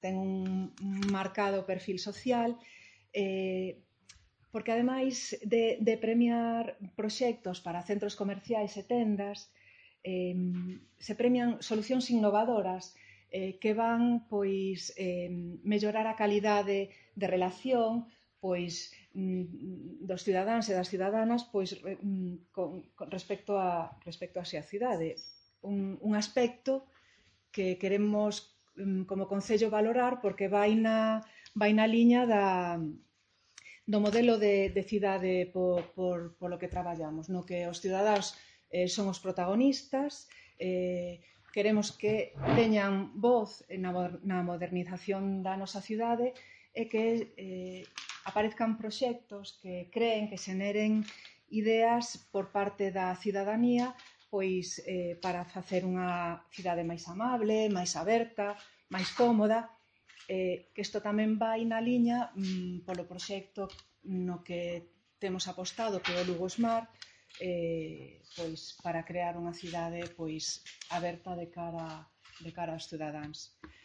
ten un marcado perfil social, porque ademais de premiar proxectos para centros comerciais e tendas, se premian solucións innovadoras que van mellorar a calidade de relación dos cidadáns e das cidadanas con respecto á cidade. Un aspecto que queremos como Concello valorar porque vai na liña do modelo de cidade polo que traballamos, no que os cidadáns son os protagonistas, queremos que teñan voz na modernización da nosa cidade e que aparezcan proxectos que creen, que xeneren ideas por parte da cidadanía para facer unha cidade máis amable, máis aberta, máis cómoda, que isto tamén vai na liña polo proxecto no que temos apostado, que é o Lugo Smart, para crear unha cidade aberta de cara aos cidadáns.